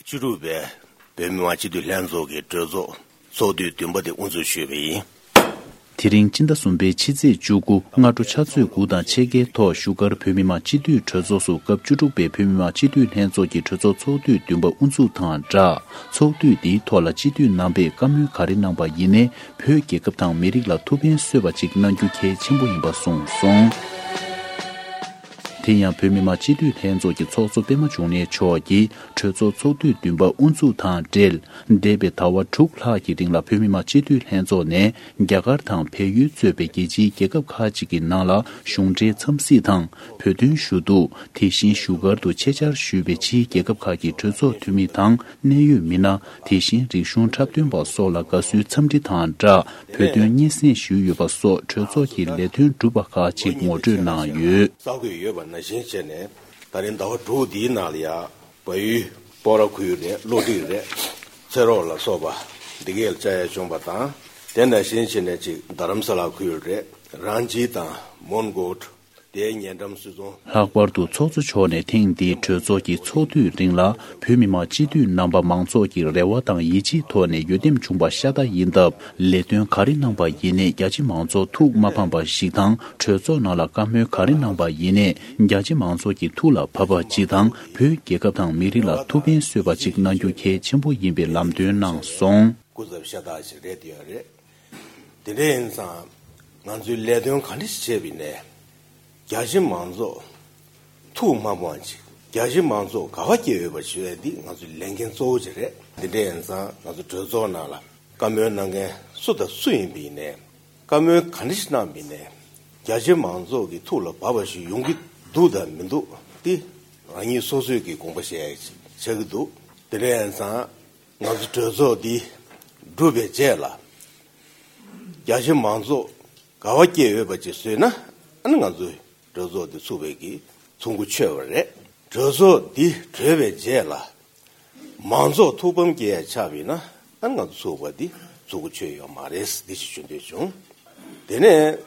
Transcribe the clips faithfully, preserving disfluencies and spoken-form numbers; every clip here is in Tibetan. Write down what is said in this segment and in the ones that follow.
བཅུ་དྲུག་པའི་བོད་མི་མང་སྤྱི་འཐུས་ལྷན་ཚོགས་ཀྱི་གྲོས་ཚོགས་ཚོགས་དུས་བདུན་པ་དེ་དབུ་འཛུགས་ཞུས་པ་ཡིན། དེ་རིང་སྤྱི་ཟླ་གསུམ་པའི་ཕྱི་ཚེས་བཅུ་དགུ་སྔ་དྲོ་ཕྱག་ཚོད་དགུ་དང་ཕྱེད་ཀའི་ཐོག་བཞུགས་སྒར་བོད་མི་མང་སྤྱི་འཐུས་གྲོས་ཚོགས་སུ་སྐབས་བཅུ་དྲུག་པའི་བོད་མི་མང་སྤྱི་འཐུས་ལྷན་ཚོགས་ཀྱི་གྲོས་ཚོགས་ཚོགས་དུས་བདུན་པ་དབུ་འཛུགས་དང་སྦྲགས། ཚོགས་དུས་འདིའི་ཐོག་ལ་སྤྱི་འཐུས་རྣམ་པས་བཀའ་མོལ་ག་རེ་གནང་པ་ཡིན་ནའི་བོད་རྒྱལ་ཁབ་དང་མི་རིགས་ལ་ཐུགས་ཕན་གསོས་པ་ཅིག་གནང་རྒྱུ་གལ་ཆེན་པོ་ཡིན་པ་གསུངས་སོང་། དེ་ཡང་བོད་མི་མང་སྤྱི་འཐུས་ལྷན་ཚོགས་ཀྱི་ཚོགས་གཙོ་པད་མ་འབྱུང་གནས་མཆོག་གིས་གྲོས་ཚོགས་ཚོགས་དུས་བདུན་པ་དབུ་འཛུགས་དང་འབྲེལ། འདས་པའི་ཟླ་བ་དྲུག་ལྷག་གི་རིང་ལ་བོད་མི་མང་སྤྱི་འཐུས་ལྷན་ཚོགས་ནས་རྒྱ་གར་དང་བལ་ཡུལ་གཙོས་པའི་རྒྱལ་སྤྱིའི་རྒྱལ་ཁབ་ཁག་ཅིག་གི་ནང་ལ་གཞུང་འབྲེལ་འཚམས་གཟིགས་དང་བོད་དོན་ཞུ་གཏུག་དེ་བཞིན་བཞུགས་སྒར་དུ་ཆེད་བཅར་ཞུས་པའི་ཕྱིའི་རྒྱལ་ཁབ་ཁག་གི་གྲོས་ཚོགས་འཐུས་མི་དང་གནད་ཡོད་མི་སྣ། དེ་བཞིན་རིག་གཞུང་འཁྲབ་སྟོན་པ་སོགས་ལ་དགའ་བསུའི་འཚམས་འདྲི་དང་སྦྲགས་བོད་དོན་སྙན་སེང་ཞུས་ཡོད་པ་སོགས་གྲོས་ཚོགས་ཀྱི་ལས་དོན་གྲུབ་པ་ཁག་ཅིག་ངོ་སྤྲོད་གནང་ཡོད། གསར་འགོད་ཡོད་པ་ནང་བཞིན་བྱས་ནས་ད་རིང་ཟླ་བ་དྲུག་འདིའི་ནང་ལ་ཡ་བལ་ཡུལ་སྤོག་ར་ཁུལ་རེད། བློ་གྲོས་རེད། ཚེ་རོགས་ལ་སོགས་པ་འདི་གས་ལ་བཅར་ཡ་བྱུང་བ་དང་། དེ་ནང་བཞིན་བྱས་ནས་ཅིག་རྡ་རམ་ས་ལ་ཁུལ་རེད། རང་ཅི་དང་མོན་གྷོ། དེའི་ཉེ་འགྲམ་སུད་ཚོང་། ལྷག་པར་དུ་ཚོགས་གཙོ་མཆོག་ནས་ཐེངས་འདིའི་གྲོས་ཚོགས་ཀྱི་ཚོགས་དུས་རིང་ལ་བོད་མི་མང་སྤྱི་འཐུས་རྣམ་པ་མང་ཚོགས་ཀྱི་རེ་བ་དང་ཡིད་ཆེས་ཐོག་ནས་འོས་འདེམས་བྱུང་བ་ཤ་སྟག་ཡིན་སྟབས། ལས་དོན་ག་རེ་གནང་པ་ཡིན་ནའི་རྒྱ་ཆེ་མང་ཚོགས་ཐུགས་མ་ཕམ་པ་ཞིག་དང་། གྲོས་ཚོགས་ནང་ལ་བཀའ་མོལ་ག་རེ་གནང་པ་ཡིན་ནའི་རྒྱ་ཆེ་མང་ཚོགས་ཀྱི་ཐུགས་ལ་བབས་པ་ཅིག་དང་། བོད་རྒྱལ་ཁབ་དང་མི་རིགས་ལ་ཐུགས་ཕན་གསོས་པ་ཅིག་གནང་རྒྱུ་གལ་ཆེན་པོ་ཡིན་པའི་ལམ་སྟོན་གནང་སོང་། སྐུ་ཚབ་ཤ་སྟག་ཞིག་རེད་དེ་ཡོད་རེད། དེ་འདྲ་ཡིན་ཙང་ང་ཚོས་ལས་དོན་ག་འདྲ་ཞིག་བྱས་པ་ཡིན་ནའི་རྒྱ་ཆེ་མང་ཚོགས་ཐུགས་མ་དཔང་ཅིག་རྒྱ་ཆེ་མང་ཚོགས་དགའ་བ་སྐྱེ་འོས་པ་ཞུ་ཡ་འདི་ང་ཚོའི་ལས་འགན་གཙོ་བོ་ཅིག་རེད། དེ་འདྲ་ཡིན་ཙང་ང་ཚོ་གྲོས་ཚོགས་ནང་ལ་བཀའ་མོལ་གནང་མཁན་སུ་དང་སུ་ཡིན་པ་ཡིན་ནའི་བཀའ་མོལ་ག་འདྲ་ཞིག་གནང་པ་ཡིན་ནའི་རྒྱ་ཆེ་མང་ཚོགས་ཀྱི་ཐུགས་ལ་བབས་པ་ཞིག་ཡོང་གི་འདུག་དང་མི་འདུག་འདི་རང་ཉིད་སོ་སོས་ཀྱི་དགོངས་པ་བཞེས་ཡ་ཅིག་ཆགས་ཀྱི་འདུག་དེ་འདྲ་ཡིན་ཙང་། ང་ཚོ་གྲོས་ཚོགས་འདི་གྲུབ་པའི་རྗེས་ལ་རྒྱ་ཆེ་མང་ཚོགས་དགའ་བ་སྐྱེ་འོས་པ་ཅིག་བཟོས་ན། ཨ་ནི་ང་ཚོའི་གྲོས་ཚོགས་འདི་ཚུགས་པའི་གི་ཚུགས་ཁུ་ཆོད་པ་རེད། གྲོས་ཚོགས་འདི་གྲོལ་བའི་རྗེས་ལ་མང་ཚོགས་ཐུགས་ཕམ་སྐྱེ་ཡ་ཆགས་པ་ཡིན་ན། ཨ་ནི་ང་ཚོ་ཚུགས་པ་འདི་ཚུགས་ཁུ་ཆོད་ཡོད་མ་རེད། འདི་ཞིག་ཞུ་འདོད་བྱུང་། དེ་ནས་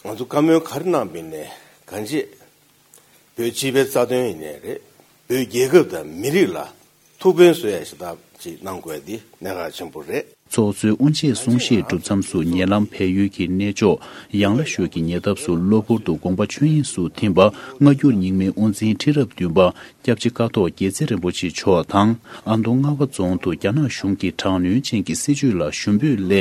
ང་ཚོ་བཀའ་མོལ་ག་རེ་གནང་པ་ཡིན་ནའི་གང་བྱེད། བོད་སྤྱི་པའི་རྩ་དོན་ཡིན་ནའི་རེད། བོད་རྒྱལ་ཁབ་དང་མི་རིགས་ལ་ཐུགས་ཕན་གསོས་ཡ་ཞིག་ད་ཅིག་གནང་དགོས་འདི་གནད་འགག་ཆེན་པོ་རེད། ཚོགས་གཙོའི་དབུ་འབྱེད་གསུང་བཤད་གྲུབ་མཚམས་སུ་ཉེ་ལམ་བལ་ཡུལ་གྱི་གནས་མཆོག་ཡང་ལ་ཤོད་ཀྱི་ཉེ་འདབས་སུ་གློ་བུར་དུ་དགོངས་པ་ཆོས་དབྱིངས་སུ་ཐིམ་པ་སྔ་འགྱུར་རྙིང་མའི་དབུ་འཛིན་ཁྲི་རབས་བདུན་པ་སྐྱབས་རྗེ་ཀཿཐོག་དགྱེས་བརྩེ་རིན་པོ་ཆེ་མཆོག་དང་། ཨ་མདོ་རྔ་བ་རྫོང་དུ་རྒྱ་ནག་གཞུང་གིས་དྲག་གནོན་ཅན་གྱི་སྲིད་བྱུས་ལ་ཞུ་འབོད་སླད་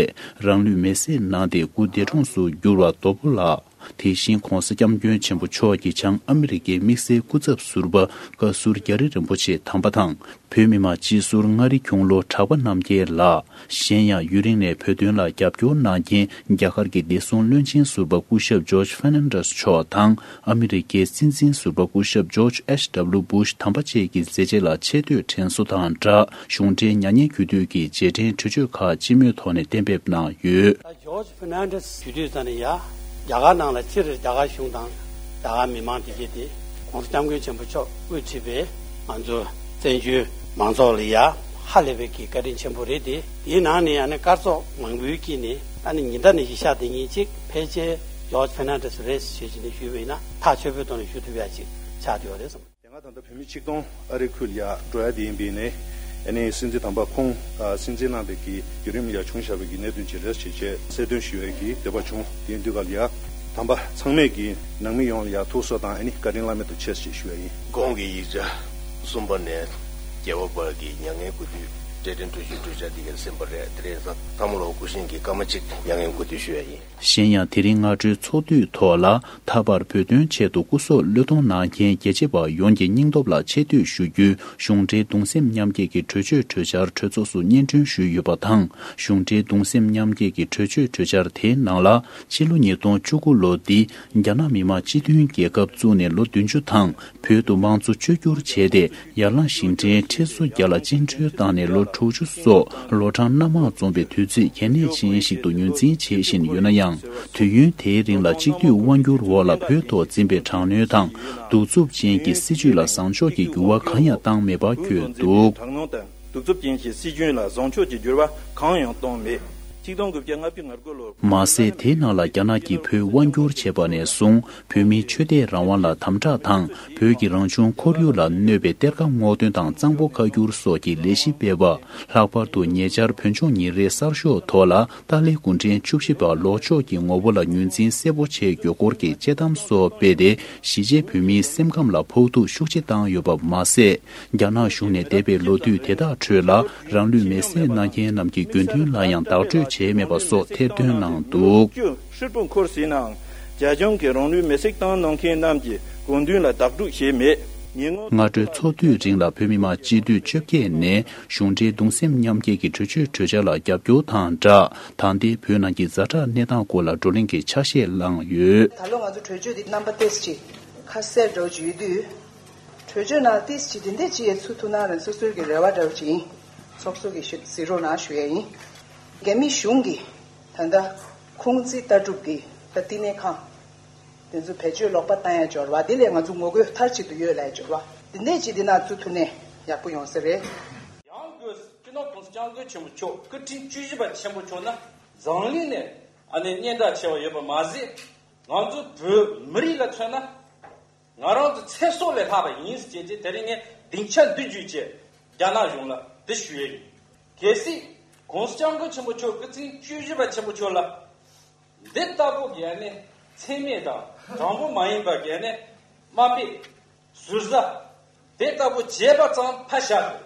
རང་ལུས་མེར་སྲེག་གནང་སྟེ་སྐུ་འདས་གྲོངས་སུ་གྱུར་བ་རྡོ་པོ་ལགས། དེ་བཞིན་༸གོང་ས་༸སྐྱབས་མགོན་ཆེན་པོ་མཆོག་གི་བྱང་ཨ་མི་རི་ཀའི་དམིགས་བསལ་སྐུ་ཚབ་ཟུར་པ་བཀའ་ཟུར་རྒྱ་རི་རིན་པོ་ཆེ་དམ་པ་དང་། བོད་མི་མང་སྤྱི་ཟུར་མངའ་རིས་ཁྱུང་ལོ་གྲགས་པ་རྣམ་རྒྱལ་ལགས། གཞན་ཡང་ཡུན་རིང་ནས་བོད་དོན་ལ་རྒྱབ་སྐྱོར་གནང་མཁན་རྒྱ་གར་གྱི་བདེ་སྲུང་བློན་ཆེན་ཟུར་པ་སྐུ་ཞབས་ཇོརྗ་ཧྥེར་ནན་ཌེས་མཆོག་དང་། ཨ་མི་རི་ཀའི་སྲིད་འཛིན་ཟུར་པ་སྐུ་ཞབས་ཇོརྗ་ཨེཆ་ཌབ་ལུ་སྦུ་ཤ་དམ་པ་བཅས་ཀྱི་མཛད་རྗེས་ལ་ཆེ་བསྟོད་དྲན་གསོ་དང་སྦྲགས། གཞུང་འབྲེལ་མྱ་ངན་གུས་འདུད་ཀྱི་རྗེས་དྲན་གྲོས་ཆོད་ཁག་སྤྱི་མོས་ཐོག་ནས་གཏན་འབེབས་གནང་ཡོད། ཇོརྗ་ཧྥེར་ནན་ཌེས་ཞུ་དུས་ཙམ་ནས་ཡ། རྒྱ་གར་ནང་ལ་སྤྱིར་རྒྱ་གར་གཞུང་དང་རྒྱ་གར་མི་མང་དེ་གྱད་དེ་༸གོང་ས་༸སྐྱབས་མགོན་ཆེན་པོ་མཆོག་དབུ་ཁྲིད་པའི་ང་ཚོ་བཙན་བྱོལ་མང་ཚོགས་ལ་ཡ་ཧ་ལས་པའི་གི་བཀའ་དྲིན་ཆེན་པོ་རེད་དེ། དེའི་ནང་ནས་ཨ་ནི་སྐར་ཚོགས་མང་པོའི་དཀྱིལ་ནས་ཨ་ནི་ཉི་ཟླ་ནས་བཞི་ཤར་དེ་ཉིན་གཅིག་ཕལ་ཆེར་ཇོརྗ་ཧྥེར་ནན་ཌེས་རེད་ཞེས་བྱས་ནས་ཞུས་པ་ཡིན་ན་ཐག་ཆོད་པོའི་ཐོག་ནས་ཞུ་ཐུབ་ཡ་ཅིག་ཆགས་བསྡད་ཡོད་རེད་བསམ། དེ་སྔ་ད་ལྟ་བོད་མི་ཆིག་སྟོང་ཨ་རིའི་ཁུལ་ལ་ཡ་འགྲོ་ཡ་དེ་ཡིན་པས་ནས། ཨ་ནི་སྲིད་འཛིན་དམ་པ་ཁོང་ཨ་སྲིད་འཛིན་གནང་བའི་གི་བརྒྱུད་རིམ་ལ་ཡ་བྱུང་བཞག་པའི་གི་གནད་དོན་ཅིག་རེད་ཅེས་བྱས་གསལ་སྟོན་ཞུ་བའི་གི་འདོད་པ་བྱུང་། དེ་ཡིན་དུས་ག་ལ་ཡ་དམ་པ་ཚང་མས་ཀྱི་ནང་མི་ཡོངས་ལ་ཡ་ཐུགས་གསོ་དང་ཨ་ནི་བཀའ་དྲིན་བླ་མེད་དུ་ཆེ་ཞེས་ཞུ་བ་ཡིན། གོང་གི་ཡིག་ཆ་གསུམ་པ་ནས་རྒྱལ་བ་དཔལ་གྱི་མྱ་ངན་གུས་འདུད་གྲོས་དྲན་གྲོས་ཆོད་གྲོས་འཆར་འདི་ག་ཟིན་པ་རེད། དེ་རེད་ཙང་ཐལ་མོ་ལོ་སྐུ་བཞེངས་ཀྱི་སྐར་མ་གཅིག་མྱ་ངན་གུས་འདུད་ཞུ་བ་ཡིན། གཞན་ཡང་དེ་རིང་སྔ་དྲོའི་ཚོགས་དུས་ཐོག་ལ་ད་བར་བོད་དོན་ཆེད་དུ་སྐུ་སྲོག་བློས་གཏོང་གནང་མཁན་རྒྱལ་གཅེས་པ་ཡོངས་ཀྱི་སྙིང་སྟོབས་ལ་ཆེ་བསྟོད་ཞུ་རྒྱུའི་གཞུང་འབྲེལ་གདུང་སེམས་མཉམ་སྐྱེད་ཀྱི་གྲོས་ཆོད་གྲོས་འཆར་གྲོས་ཚོགས་སུ་སྙན་སྒྲོན་ཞུས་ཡོད་པ་དང་། གཞུང་འབྲེལ་གདུང་སེམས་མཉམ་སྐྱེད་ཀྱི་གྲོས་ཆོད་གྲོས་འཆར་དེའི་ནང་ལ། ཕྱི་ལོ་ཉིས་སྟོང་བཅུ་དགུ་ལོ་འདི་རྒྱ་ནག་མི་དམངས་སྤྱི་མཐུན་རྒྱལ་ཁབ་བཙུགས་ནས་ལོ་བདུན་ཅུ་དང་། བོད་དུ་དམངས་གཙོ་བཅོས་བསྒྱུར་བྱས་ཏེ། ཡར་ལངས་ཞིང་བྲན་ཁྲི་ཚོ་བརྒྱ་ལ་བཅིངས་འགྲོལ་བཏང་ནས་ལོ་དྲུག་ཅུ་སོགས་ལོ་གྲངས་སྣ་མང་འཛོམས་པའི་དུས་ཚིགས་གལ་གནད་ཅན་ཞིག་ཏུ་ངོས་འཛིན་བྱེད་བཞིན་ཡོད་ན་ཡང་། དུས་ཡུན་དེའི་རིང་ལ་གཅིག་སྡུད་དབང་སྒྱུར་འོག་ལ་བོད་ཐོག་འཛིན་པའི་དྲག་གནོན་དང་། གདུག་རྩུབ་ཅན་གྱི་སྲིད་བྱུས་ལ་བཟང་ཕྱོགས་ཀྱི་འགྱུར་བ་གང་ཡང་བཏང་མེད་པར་བཀོད་འདུག། གདུག་རྩུབ་ཅན་གྱི་སྲིད་བྱུས་ལ་བཟང་ཕྱོགས་ཀྱི་འགྱུར་བ་གང་ཡང་བཏང་མེད། ཆིག་སྟོང་དགུ་བརྒྱ་ལྔ་བཅུ་ང་དགུ་ལོར། མ་ཟད། དེའི་ནང་ལ་རྒྱ་ནག་གིས་བོད་དབང་བསྒྱུར་བྱས་པ་ནས་བཟུང་བོད་མིའི་ཆོས་དད་རང་དབང་ལ་དམ་དྲག་དང་། བོད་ཀྱི་རང་བྱུང་ཁོར་ཡུག་ལ་གནོད་པའི་གཏེར་ཁ་སྔོག་འདོན་དང་གཙང་པོ་ཁ་བསྒྱུར་སོགས་ཀྱི་ལས་གཞི་སྤེལ་བ། ལྷག་པར་དུ་ཉེ་ཆར་བོད་ལྗོངས་ཉིན་རེའི་གསར་ཤོག་ཐོག་ལ་ཏཱ་ལའི་སྐུ་ཕྲེང་བཅུ་བཞི་པ་ལོག་ཕྱོགས་ཀྱི་ངོ་བོ་ལ་ངོས་འཛིན་གསལ་པོ་བྱེད་རྒྱུའི་སྐོར་གྱི་དཔྱད་གཏམ་སོགས་སྤེལ་ཏེ། གཞིས་བྱེས་བོད་མིའི་སེམས་ཁམས་ལ་ཕོག་ཐུག་ཤུགས་ཆེ་བཏང་ཡོད་པ་མ་ཟད། རྒྱ་ནག་གཞུང་ནས་འདས་པའི་ལོ་དུས་དེ་དག་ཁྲོད་ལ་རང་ལུས་མེར་སྲེག་གནང་མཁན་རྣམས་ཀྱི་དགོས་འདུན་ལ་ཡང་བདག་སྤྲོད་བྱས་མེད་པ་སོགས་ཐེར་འདོན་གནང་འདུག། ཧྲིལ་པོ་འཁོར་ཟིན་ནའང་རྒྱ་གཞུང་གིས་རང་ལུས་མེར་སྲེག་བཏང་གནང་མཁན་རྣམས་ཀྱི་དགོས་འདུན་ལ་བདག་སྤྲོད་བྱས་མེད། ཉེ་སྔོན། སྔ་དྲོའི་ཚོགས་དུས་རིང་ལ་བོད་མི་མང་སྤྱི་འཐུས་བཅོ་བརྒྱད་ནས་གཞུང་འབྲེལ་གདུང་སེམས་མཉམ་སྐྱེད་ཀྱི་གྲོས་ཆོད་གྲོས་འཆར་ལ་རྒྱབ་སྐྱོར་དང་སྦྲགས། ད་ལྟའི་བོད་ནང་གི་ཛ་དྲག་གནས་སྟངས་སྐོར་ལ་བགྲོ་གླེང་གི་ཆ་ཤས་བླངས་ཡོད། ད་ལོ་ང་ཚོ་གྲོས་ཆོད་འདི་རྣམ་པ་ཏོག་ཙམ་ཅིག་ཁ་གསལ་འདྲ་བོ་ཅིག་ཡོད་དུས། གྲོས་ཆོད་ནང་ཏོག་ཙམ་ཅིག་འདི་འདྲས་ཅིག་ཡས་ཚུད་ཐུབ་ན་རང་སོ་སོའི་གི་རེ་བ་འདྲ་བོ་ཅིག་ཡིན། ཚོགས་གཙོ་གིས་ཞུ་གཟིགས་རོགས་གནང་ཞུ་ཡས་ཡིན། རྒྱ་མི་གཞུང་གིས་ད་ལྟ་ཁུང་ཙི་ལྟ་གྲུབ་འདི་ད་བསྟི་གནས་ཁང་དེ་ཚོ་བེད་སྤྱོད་ལོག་པ་བཏང་ཡ་འབྱོར་བ་འདི་ལས་ང་ཚོ་ངོ་རྒོལ་མཐའ་གཅིག་ཏུ་ཡོད་ལབ་ཡ་འབྱོར་བ་འདི་འདྲས་ཅིག་འདི་ནང་ཚུད་ཐུབ་ནས་ཡག་པོ་ཡོང་ས་རེད། ཡང་སྒོས་སྤྱི་ནོར་༸གོང་ས་༸སྐྱབས་མགོན་ཆེན་པོ་མཆོག་སྐུ་ཕྲེང་བཅུ་བཞི་པ་ཆེན་པོ་མཆོག་ནི་འཛམ་གླིང་ནས་ཨ་ནི་སྙན་གྲགས་ཆེ་བ་ཡོད་པ་མ་ཟད། ང་ཚོ་བོད་མི་རིགས་ལ་མཚོན་ན། ང་རང་ཚོ་ཚེ་སྲོག་ལས་ལྷག་པ་ཡིན་ཟེར་བྱས་ཏེ་དེ་རིང་ངས་སྡིངས་ཆ་འདི་བརྒྱུད་བྱས་རྒྱ་ནག་གཞུང་ལ་འདི་ཞུ་ཡས་ཡིན། གལ་སྲིད་༸གོང་ས་༸སྐྱབས་མགོན་ཆེན་པོ་མཆོག་སྐུ་ཕྲེང་བཅུ་བཞི་པ་ཆེན་པོ་མཆོག་ལ་འདི་ལྟ་བུ་གི་ཨ་ནི་མཚན་སྨད་དང་དྲང་པོ་མ་ཡིན་པ་གི་ཨ་ནི་དམའ་འབེབས་ཟུར་ཟ་དེ་ལྟ་བུ་བྱས་པ་ཙམ་ཕར་བཞག་སྟེ་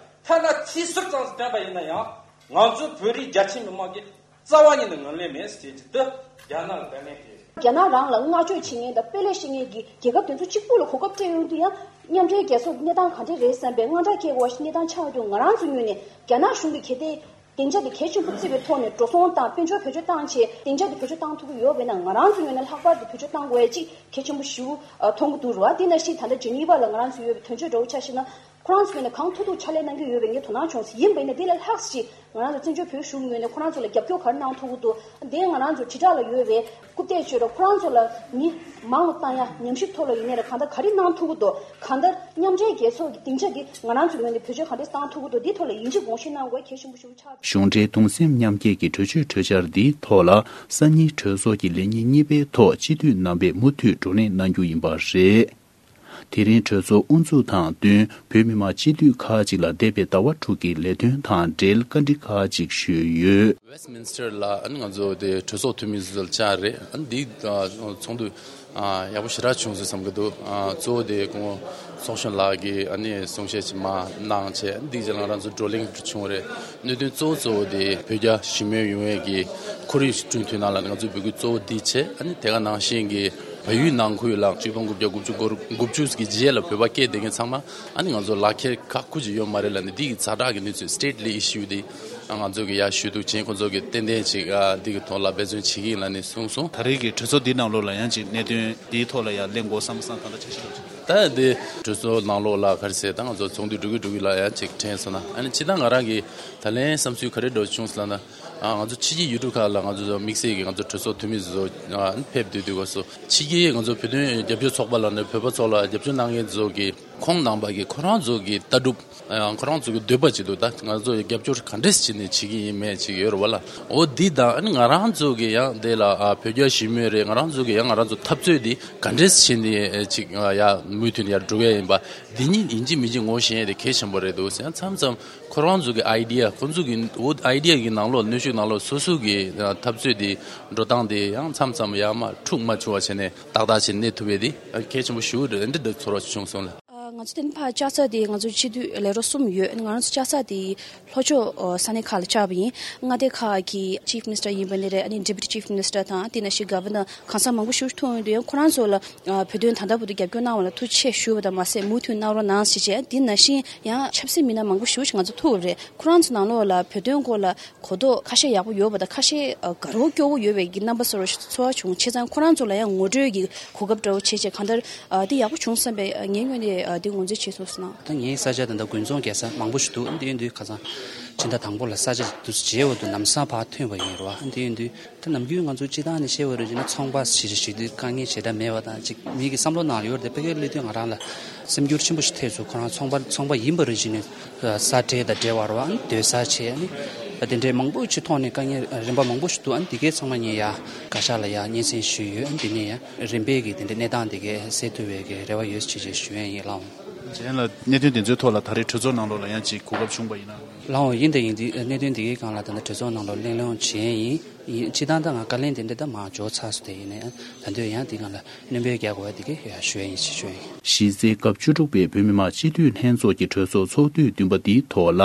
ཐ་ན་ཚིག་ཟུར་ཙམ་བཏོན་པ་ཡིན་ན་ཡང་ང་ཚོ་བོད་རིགས་རྒྱ་ཆེ་མི་མང་གི་རྩ་བ་ཉིད་ནས་ངོས་ལེན་མེད་ཟེར་གྱི་འདི་རྒྱ་ནག་ལ་བརྡ་ལན་སྤྲད། རྒྱ་ནག་རང་ལ་བསྔགས་བརྗོད་བྱེད་མཁན་དང་དཔེ་ལེགས་བཤད་མཁན་གྱི་རྒྱལ་ཁབ་དེ་ཚོ་གཅིག་པུ་ལ་གོ་སྐབས་སྤྲད་ཡོང་དུས་ཡང་མཉམ་འབྲེལ་རྒྱལ་ཚོགས་ཀྱི་གནས་སྟངས་ག་འདྲས་རེད་བསམ་པའི་དངངས་སྐྲག་སྐྱེ་དགོས་པ་ཞིག་གནས་སྟངས་ཆགས་ཡོང་དུས་ང་རང་ཚོ་ངོས་ནས་རྒྱ་ནག་གཞུང་གི་གལ་ཏེ་སྡིངས་ཆ་དེ་གལ་ཆེན་པོ་བརྩི་བའི་ཐོག་ནས་འགྲོ་སོང་བཏང་དཔལ་འབྱོར་བེད་སྤྱོད་བཏང་བྱས་སྡིངས་ཆ་དེ་བེད་སྤྱོད་བཏང་ཐུབ་ཀྱི་ཡོད་པས་ན་ང་རང་ཚོ་ངོས་ནས་ལྷག་པར་དུ་བེད་སྤྱོད་བཏང་དགོས་ཡ་གཅིག་གལ་ཆེན་པོ་ཞིག་མཐོང་གི་འདུག་རེད་བ། དེ་ནང་བཞིན་ད་ལྟ་ཇི་ནི་ཝ་ལ་ང་རང་ཚོ་ཡོད་པའི་དོན་གཅོད་འདྲ་བོ་ཆ་བཞག་ན། ཁོ་རང་ཚོ་ངོས་ནས་གང་ཐུབ་ཐུབ་ཕྱག་ལས་གནང་གི་ཡོད་པའི་ངས་དོ་སྣང་བྱུང་སོང་། ཡིན་པ་ཡིན་ན་དེ་ལས་ལྷག་ཅིག་ང་རང་ཚོ་བཙན་བྱོལ་བོད་གཞུང་ངོས་ནས་ཁོ་རང་ཚོ་ལ་རྒྱབ་སྐྱོར་ག་རེ་གནང་ཐུབ་ཀྱི་འདུག་དེ་ང་རང་ཚོ་དྲིལ་བསྒྲགས་ལ་ཡོད་པའི་རྐུབ་སྟེགས་ཆོས་ར་ཁོ་རང་ཚོ་ལ་མི་མང་ལ་བཏང་ཡ་ཉམས་ཞིབ་ཐོག་ལ་ཡིན་ནའི་ར་གང་ལྟར་ག་རེ་གནང་ཐུབ་ཀྱི་འདུག་གང་ལྟར་མཉམ་འབྲེལ་རྒྱལ་ཚོགས་ཀྱི་སྡིངས་ཆ་འདི་ང་རང་ཚོའི་ངོས་ནས་བེད་སྤྱོད་ག་འདྲས་བཏང་ཐུབ་ཀྱི་འདུག་འདི་ཐོག་ལ་ཡིད་ཆེས་དགོངས་བཞེས་གནང་དགོས་གལ་ཆེན་པོ་ཞིག་ཆགས་འདུག་གཞུང་འབྲེལ་གདུང་སེམས་མཉམ་སྐྱེད་ཀྱི་གྲོས་ཆོད་གྲོས་འཆར་འདིའི་ཐོག་ལ་སང་ཉིན་གྲོས་ཚོགས་ཀྱི་ལས་ཉིན་གཉིས་པའི་ཐོག་སྤྱི་འཐུས་རྣམ་པས་མུ་མཐུད་བགྲོ་གླེང་གནང་རྒྱུ་ཡིན་པ་རེད། དེ་རིང་གྲོས་ཚོགས་དབུ་འཛུགས་དང་བསྟུན་བོད་མི་མང་སྤྱི་འཐུས་ཁག་ཅིག་ལ་འདས་པའི་ཟླ་བ་དྲུག་གི་ལས་དོན་དང་འབྲེལ་བཀའ་འདྲི་ཁག་ཅིག་ཞུས་ཡོད། Westminster་ལ་ཨ་ནི་ང་ཚོ་དེ་གྲོས་ཚོགས་འཐུས་མི་ཚོ་ལ་བཅར་རེད། ཨ་ནི་འདི་ཚོགས་འདུ་ཡག་པོ་ཞེ་དྲག་བྱུང་སོང་བསམ་གྱི་འདུག་གཙོ་བོ་དེ་སྐུ་ངོ་ཚོགས་གཞོན་ལགས་ཀྱིས་ཨ་ནི་གསུང་བཤད་ཅིག་མར་གནང་བྱས་འདི་རྗེས་ལ་ང་རང་ཚོ་བགྲོ་གླེང་བྱུང་རེད། གནད་དོན་གཙོ་བོ་གཙོ་བོ་དེ་བོད་རྒྱ་ཞི་མོལ་ཡོང་ཡས་ཀྱི་ཁོར་ཡུག་ཞིག་བསྐྲུན་ཐུབ་ན་ལ་ང་ཚོའི་འབོད་སྐུལ་གཙོ་བོ་འདི་བྱས། ཨ་ནི་དེ་ག་ནང་བཞིན་གྱི་བལ་ཡུལ་ནང་ཁུལ་ལ་ཆིག་སྟོང་དགུ་བརྒྱ་དགུ་བཅུ་གོ་དགུ་བཅུ་གི་རྗེས་ལ་བོད་པ་སྐད་བསྡད་མཁན་ཚང་མ་ཨ་ནི་ང་ཚོ་ལག་ཁྱེར་ཁག་ཁུར་གྱི་ཡོད་མ་རེད་ལ་ནི་འདི་གི་ཛ་དྲག་གི་གནས་ཚུལ་state level issue་འདི་ང་ཚོ་གི་ཡར་ཞུ་གཏུག་བྱས་ཁོང་ཚོ་གི་ཏན་ཏན་ཅིག་ཨ་འདི་གི་ཐོག་ལ་འབད་བརྩོན་བྱེད་ཀྱི་ཡིན་ལ་ནི་གསུངས་སོང་། ད་རེས་ཀྱི་གྲོས་ཚོགས་འདི་ནང་ལོགས་ལ་ཡང་ཅིག་གནད་དོན་འདིའི་ཐོག་ལ་ཡང་གླེང་དགོས་བསམ་བསམ་ད་ལྟ་འཆར་གཞི་འདྲ་བོ་ཅིག་ད་འདི་གྲོས་ཚོགས་ནང་ལོགས་ལ་ག་རེ་ཟེར་ད་ང་ཚོ་ཚོགས་འདུ་འགྲོ་གི་འགྲོ་གི་ལ་ཡང་ཅིག་དྲན་སོང་ན་ཨ་ནི་ཅི་ད་ང་རང་གི་ད་ལན་བསམ་ཚུལ་ག་རེ་འདྲ་བོ་བྱུང་སོང་ལབ་ན། ཨ་ང་ཚོ་ཕྱི་རྒྱལ་ཡུལ་གྲུ་ཁག་ལ་ང་ཚོ་དམིགས་བསལ་གྱི་ང་ཚོ་གྲོས་ཚོགས་འཐུས་མི་ཚོ་ཨ་ཕེབས་སྡོད་དུས་སྐབས་སུ་ཕྱི་རྒྱལ་ང་ཚོ་བོད་དོན་རྒྱབ་སྐྱོར་ཚོགས་པ་ལ་ནི་བོད་པ་ཚོ་ལ་རྒྱབ་སྐྱོར་གནང་མཁན་ཚོ་གི་ཁོང་རྣམ་པ་གི་ཁོ་རང་ཚོ་གི་ལྟ་གྲུབ་ཨ་ཁོ་རང་ཚོ་གི་འདོད་པ་ཅིག་འདུག་ད་ང་ཚོ་རྒྱབ་སྐྱོར་ག་འདྲས་བྱས་ནས་བྱེད་ཀྱི་ཡིན་མེད་ཅིག་ཡོད་རེད་བ་ལ། འོ་འདི་དང་ཨ་ནི་ང་རང་ཚོ་གི་ཡང་དེ་ལ་ཨ་བོད་རྒྱ་ཞི་མོལ་རེད། ང་རང་ཚོ་གི་ཡང་ང་རང་ཚོ་འཐབ་རྩོད་འདི་ག་འདྲས་བྱས་ནས་ཅིག་ཡ་མུ་མཐུད་ནས་ཡར་འགྲོ་གི་ཡིན་པ་འདི་གཉིས་ཡིན་གཅིག་མིན་གཅིག་ངོ་ཤེས་ཡ་དེ་གལ་ཆེན་པོ་རེད་འདུག་ཟེར། མཚམས་མཚམས་ཁོ་རང་ཚོ་གི་idea ཁོ་ཚོ་གི་འོ་idea གི་ནང་ལོགས་གནོན་ཤུགས་ནང་ལོགས་སོ་སོ་གི་འཐབ་རྩོད་དེ་འགྲོ་སྟངས་དེ་ཡང་མཚམས་མཚམས་ཡར་མར་འཁྲུག་མ་བྱུང་བ་བྱས་ནས་ཏག་ཏག་བྱས་ནས་གནས་ཐུབ་ཡས་དེ་གལ་ཆེན་པོ་ཞེ་པོ་རེད། འདི་འདྲ་ཚོར་བ་བྱུང་སོང་ལ། ང་ཚོ་དེ་ནི་ཕར་ལྕགས་རྩ་དེ་ང་ཚོ་སྤྱི་འཐུས་ལས་རོགས་གསུམ་ཡོད། ང་རང་ཚོ་ལྕགས་རྩ་དེ་ལྷོ་ཕྱོགས་ས་གནས་ཁག་ལ་བཅར་བ་ཡིན། མངའ་སྡེ་ཁག་གི་Chief Minister ཡིན་པ་ནི་རེད། ཨ་ནི་Deputy Chief Minister དང་དེ་ནང་བཞིན་Governor གང་ཟག་མང་པོ་ཞིག་ཐུག་ཡོང་དུས་ཡང་ཁོ་རང་ཚོ་ལ་བོད་དོན་ད་ལྟ་བར་དུ་རྒྱབ་སྐྱོར་གནང་བ་ལ་ཐུགས་རྗེ་ཆེ་ཞུ་བ་དང་མ་ཟད་མུ་མཐུད་གནང་རོགས་གནང་ཞེས་བྱས། དེ་ནང་བཞིན་ཡང་ཆབ་སྲིད་མི་སྣ་མང་པོ་ཞིག་ང་ཚོ་ཐུག་པ་རེད། ཁོ་རང་ཚོ་ནང་ལོགས་ལ་བོད་དོན་སྐོར་ལ་གོ་རྟོགས་ཁ་ཤས་ཡག་པོ་ཡོད་པ་དང་ཁ་ཤས་དགའ་རབ་སྐྱོ་བོ་ཡོད་པའི་གི་རྣམ་པ་གསལ་བོ་ཞིག་ཚོར་བ་བྱུང་། བྱས་ཙང་ཁོ་རང་ཚོ་ལ་ཡང་ངོ་སྤྲོད་ཀྱི་གོ་སྐབས་འདྲ་བོ་བྱས་བྱས་གང་ལྟར་འདི་ཡག་པོ་བྱུང་བསམ་པའི་ངའི་ངོས་ནས་འདི་ངོས་འཛིན་བྱས་སོང་ཟེར་ན། ད་ངའི་ས་ཆ་ད་ལྟ་དགུན་ཚོང་རྒྱག་ས་མང་པོ་ཞིག་འདུག་འདི་ཡིན་དུས་ཁ་སང་ཕྱི་ཟླ་དང་པོ་ལ་ས་ཆ་འདི་ཚོ་མཇལ་བ་དུ་ལམ་སང་ཕར་ཐོན་པ་ཡིན་རེད་བ། འདི་ཡིན་དུས་ད་ནམ་རྒྱུན་ང་ཚོ་སྤྱི་བཏང་ནས་བཤད་པ་རེད་ཅེ་ན་ཚོང་པ་ཞིག་ཞིག་དུས་དཀའ་ངལ་ཞེ་དྲག་མེད་པ་དང་ཅིག་མི་གི་བསམ་བློ་ནང་ཡོད་རེད། དེ་ཕ་གིར་སླེབས་དུས་ང་རང་ལ་སེམས་འགྱུར་ཆེན་པོ་ཞིག་ཐེབས་སོང་། ཁོ་རང་ཚོང་པ་ཚོང་པ་ཡིན་པ་རེད་ཅེ་ནས་ས་ཁྲལ་དང་འབྲེལ་བ་རེད་བ། སྡོད་ས་བྱས་ནས་ དེ་འདྲའི་མང་པོ་ཅིག་ཐོག་ནས་དཀའ་ངལ་རིམ་པ་མང་པོ་ཞིག་འདུག་ཨ་ནི་དེ་གའི་ཚང་མ་ངས་ཡ་བཀའ་ཤག་ལ་ཡ་སྙན་སེང་ཞུས་ཡོད། ཨ་ནི་དེ་ནས་ཡ་རིམ་པས་ཀྱི་དེ་འདྲའི་གནས་སྟངས་དེ་གའི་སེལ་ཐུབ་པའི་གི་རེ་བ་ཡོད་ཅེས་ཞུ་ཡ་ཡིན། ལགས་འོང་། རྗེས་ལ་གནད་དོན་དེ་ཚོའི་ཐོག་ལ་ད་རེས་གྲོས་ཚོགས་ནང་ལོགས་ལ་ཡང་ཅིག་གོ་སྐབས་བྱུང་པ་ཡིན་ན། ལགས་འོང་། ཡིན་དང་ཡིན། དེ་གནད་དོན་དེ་གའི་སྒང་ལ་ད་ལྟ་གྲོས་ཚོགས་ནང་ལོགས་གླེང་སློང་བྱས་ཡིན། ཡིན། སྤྱིར་བཏང་ད་ང་བཀའ་ལན་དེ་འདྲ་ད་མར་འཇོག་ཚར་སོང་། དེ་ཡིན་ནའི་ད་དུང་ཡང་དེ་སྒང་ལ་སྣོན་པ་རྒྱག་དགོས་པ་དེ་གའི་ཡ་ཞུ་ཡ་ཡིན་ཞེས་ཞུ་ཡ་ཡིན། གཞི་རྩའི་སྐབས་བཅུ་དྲུག་པའི་བོད་མི་མང་སྤྱི་འཐུས་ལྷན་ཚོགས་ཀྱི་གྲོས་ཚོགས་ཚོགས་དུས་བདུན་པ་འདིའི་ཐོག་ལ།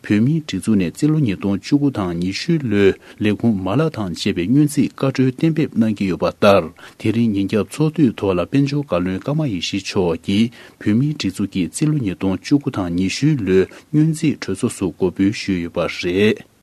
བོད་མིའི་སྒྲིག་འཛུགས་ནས་རྩིས་ལོ་ཉིས་སྟོང་བཅུ་དགུ་དང་ཉི་ཤུ་ལོའི་ལས་ཁུངས་མ་ལག་དང་བཅས་པའི་སྔོན་རྩིས་བཀའ་འཁྲོལ་གཏན་འབེབས་གནང་གི་ཡོད་པ་ལྟར། དེ་རིང་ཉིན་རྒྱབ་ཚོགས་དུས་ཐོག་ལ་དཔལ་འབྱོར་བཀའ་བློན་ཀརྨ་ཡེ་ཤེས་མཆོག་གིས་བོད་མིའི་སྒྲིག་འཛུགས་ཀྱི་རྩིས་ལོ་ཉིས་སྟོང་བཅུ་དགུ་དང་ཉི་ཤུ་ལོའི་སྔོན་རྩིས་གྲོས་ཚོགས་སུ་མགོ་འབུལ་ཞུས་ཡོད་པ་རེད།